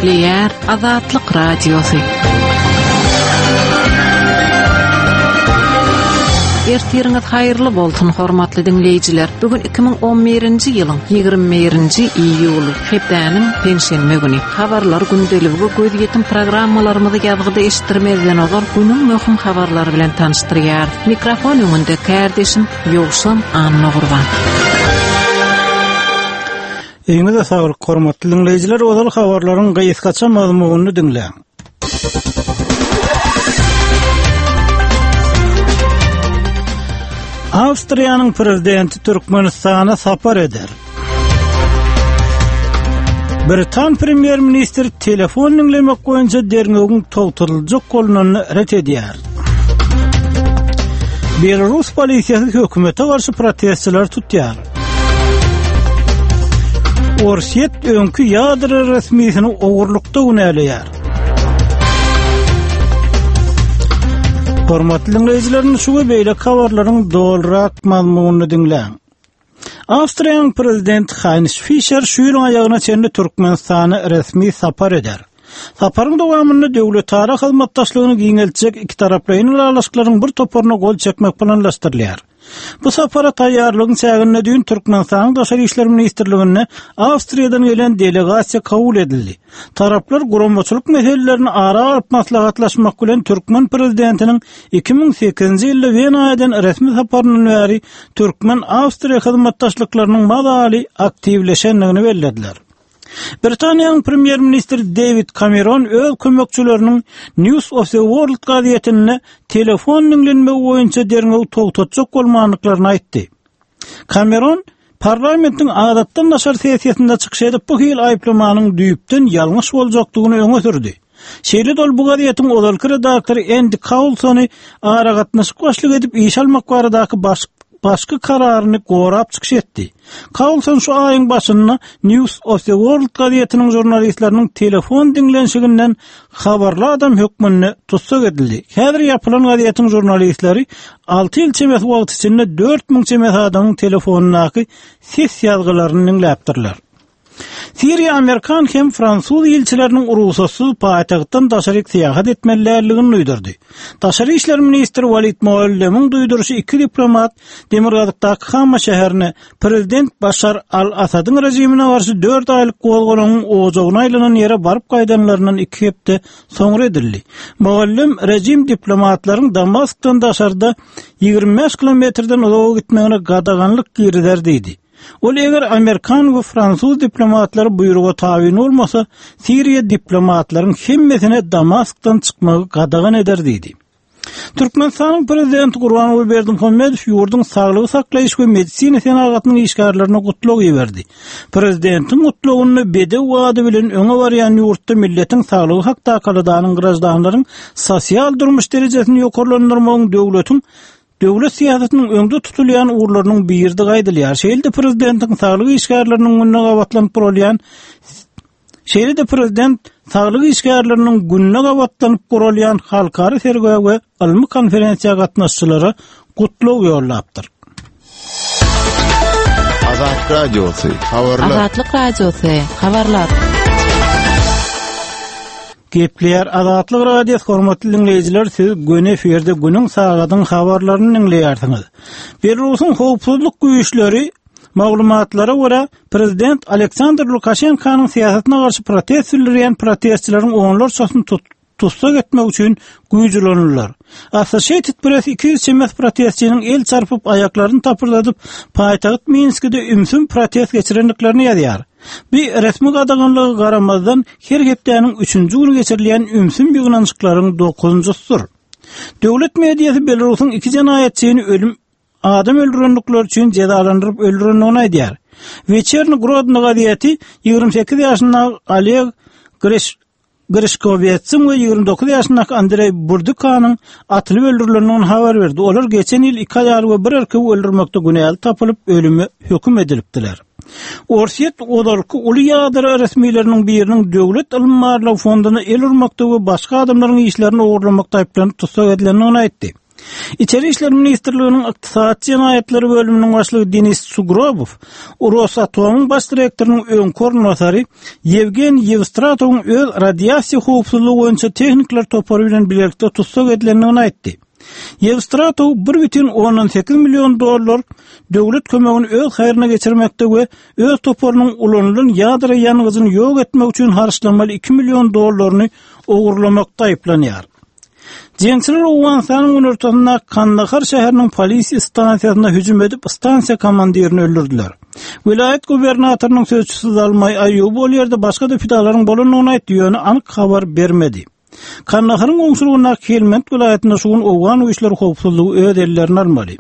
Gepleýär Azatlyk Radiosy. Ertiriňiz haýyrly bolsun, hormatly diňleýjiler. Bu gün 2011-nji ýylyň 21-nji iýuly, hepdäniň penşenbe güni. Habarlar gündeligi we gözýetim programmalarymyzy ýazgyda eşitdirmezden ozal günüň möhüm habarlary bilen tanyşdyrýarys. Mikrofon öňünde kärdeşim Ýowşan Annagurban. Öýüňize saglyk, hormatly diňleýjiler, ozal habarlaryň gysgaça mazmunyny diňläň. Awstriýanyň prezidenti Türkmenistana sapar eder. Britan premýer-ministri telefon diňlemek boýunça derňewiň togtadyljak bolnanyny ret edýär. Belarus polisiýasy hökümete garşy protestçileri tutýar. Orsýet öňki ýadro resmisini ogurlykda günäleýär. Hormatly diňleýjiler, şu we beýleki habarlaryň dolurak mazmunyny diňläň. Awstriýanyň prezidenti Haýns Fişer şu ýylyň aýagyna çenli Türkmenistana resmi sapar eder. Saparyň dowamynda döwletara hyzmatdaşlygyny giňeltjek ikitaraplaýyn ylalaşyklaryň bir toparyna gol çekmek planlaşdyrylýar. Bu sapara taýýarlygyň çäginde düýn Türkmenistanyň Daşary işler ministrliginde Awstriýadan gelen delegasiýa kabul edildi. Taraplar guramaçylyk meselelerini ara alyp maslahatlaşmak bilen türkmen prezidentiniň 2008-nji ýylda Wena eden resmi saparyndan bäri türkmen-awstriýa hyzmatdaşlyklarynyň mazaly aktiwleşendigini bellediler. Britaniýanyň premýer-ministri Dewid Kameron öz kömekçileriniň News of the World gazetinde telefon diňlenmegi boýunça derňewi togtatjak bolmandyklaryny aýtdy. Kameron parlamentiň adatdan daşary sessiýasynda çykyş edip, bu hili aýyplamanyň düýpden ýalňyş boljakdygyny öňe sürdi. Şeýle-de ol bu gazetiň ozalky redaktory Endi Kaulsony aragatnaşyk başlygy edip işe almak baradaky başky kararyny gorap çykyş etdi. Kaulson şu aýyň başynda News of the World gazetiniň žurnalistleriniň telefon diňlenişiginden habarly adam hökmünde tussag edildi. Häzir ýapylan gazetiň žurnalistleri alty ýyl çemesi wagt içinde 4000 çemesi adamyň telefonyndaky ses ýazgylaryny diňläpdirler. Siriýa amerikan hem fransuz ilçileriniň rugsatsyz paýtagtdan daşaryk syýahat etmeli däldigini duýdurdy. Daşary işler ministri Walid Muallemiň duýduryşy iki diplomat demirgazykdaky Hama şäherine prezident Başar al-Asadyň režimine garşy dört aýlyk gozgalaňyň ojagyna aýlanan ýere baryp gaýdanlaryndan iki hepde soňra edildi. Muallem režim diplomatlaryň Damaskdan daşarda 25 kilometrden uzaga gitmegine gadaganlyk girizer diýdi. Ol eger amerikan we fransuz diplomatlary buýruga tabyn bolmasa, Siriýa diplomatlaryň hemmesine Damaskdan çykmagy gadagan eder diýdi. Türkmenistanyň Prezidenti Gurbanguly Berdimuhamedow ýurduň saglygy saklaýyş we medisina senagatynyň işgärlerine gutlag iberdi. Prezidentiň gutlagynda bedew ady bilen öňe barýan ýurtda milletiň saglygy hakdaky aladanyň graždanlaryň sosial durmuş derejesini ýokarlandyrmagyň döwletiň Döwlet syýasatynyň öňde tutulýan ugurlarynyň biridigi aýdylýar. Şeýle-de prezidentiň saglyk işgärleriniň gününe gabatlanyp guralýan Şeýle-de prezident saglyk işgärleriniň gününe gabatlanyp guralýan halkara sergä we ylmy konferensiýa gatnaşyjylara gutlag ýollapdyr. Azat Radiosy, habarlar. Azatlyk Radiosy, habarlar. Gepleýär Azatlyk Radiosy hormatly diňleýjiler siz göni efirde günüň sagadyň habarlaryny diňleýärsiňiz. Belarusyň howpsuzlyk güýçleri maglumatlara görä prezident Aleksandr Lukaşenkanyň syýasatyna garşy protest bildirýän protestçileriň onlarçasyny tussag etmek üçin güýç ulandylar. Associated Press 200 çemesi protestçiniň el çarpyp aýaklaryny tapyrdadyp paýtagt Minskide ümsüm protest geçirendiklerini ýazýar. Bu resmi gadaganlyga garamazdan, her hepdäniň üçünji güni geçirilýän ümsüm ýygnanyşyklaryň dokuzynjysydyr. Döwlet mediasy Belarusyň iki jenaýatçyny ölüm adam öldürendikleri üçin jezalandyryp öldürendigini aýdýar. Weçerni Grodno gazeti 28 ýaşyndaky Oleg Greş Grişkowetsiň we 29 ýaşyndaky Andreý Burdukanyň atylyp öldürilendigini habar berdi. Olar geçen ýyl iki aýaly we bir erkegi öldürmekde günäli tapylyp, ölüme höküm edilipdiler. Orsýet ozalky uly ýadro resmileriniň biriniň Döwlet ylym-barlag fonduna el urmakda we başga adamlaryň işlerini ogurlamakda aýyplanyp tussag edilendigini aýtdy. Içeri işler ministrliginiň ykdysady jenaýatlary bölüminiň başlygy Denis Sugrobow Rosatomyň baş direktorynyň öňki orunbasary Ýewgeniý Ýewstratowyň öz radiasiýa howpsuzlygy boýunça tehnikler topary bilen bilelikde tussag edilendigini aýtdy. Ýewstratow 1,8 million dollar döwlet kömegini öz haýryna geçirmekde we öz toparynyň ulanylan ýadro ýangyjyny ýok etmek üçin harçlamaly 2 million dollaryny ogurlamakda aýyplanýar. Jeňçiler Owganystanyň günortasyndaky Kandahar şäheriniň polisiýa stansiýasyna hüjüm edip, stansiýa komandirini öldürdiler. Welaýat gubernatorynyň sözçüsi Zalmaý Aýuby ol ýerde başga-da pidalaryň bolandygyny aýtdy, ýöne anyk habar bermedi. Kandaharyň goňşulygyndaky Helmand welaýatynda şu gün owgan güýçleri howpsuzlygy öz ellerine almaly.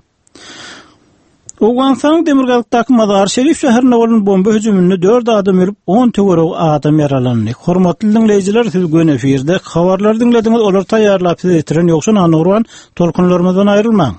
Owganystanyň demirgazykdaky Mazar-Şerif şäherinde bolan bomba hüjüminde dört adam ölüp, on töweregi adam ýaralandy. Hormatly diňleýjiler, siz göni efirde habarlary diňlediňiz, olary taýýarlap size ýetiren Ýowşan Annagurban. Tolkunlarymyzdan aýrylmaň.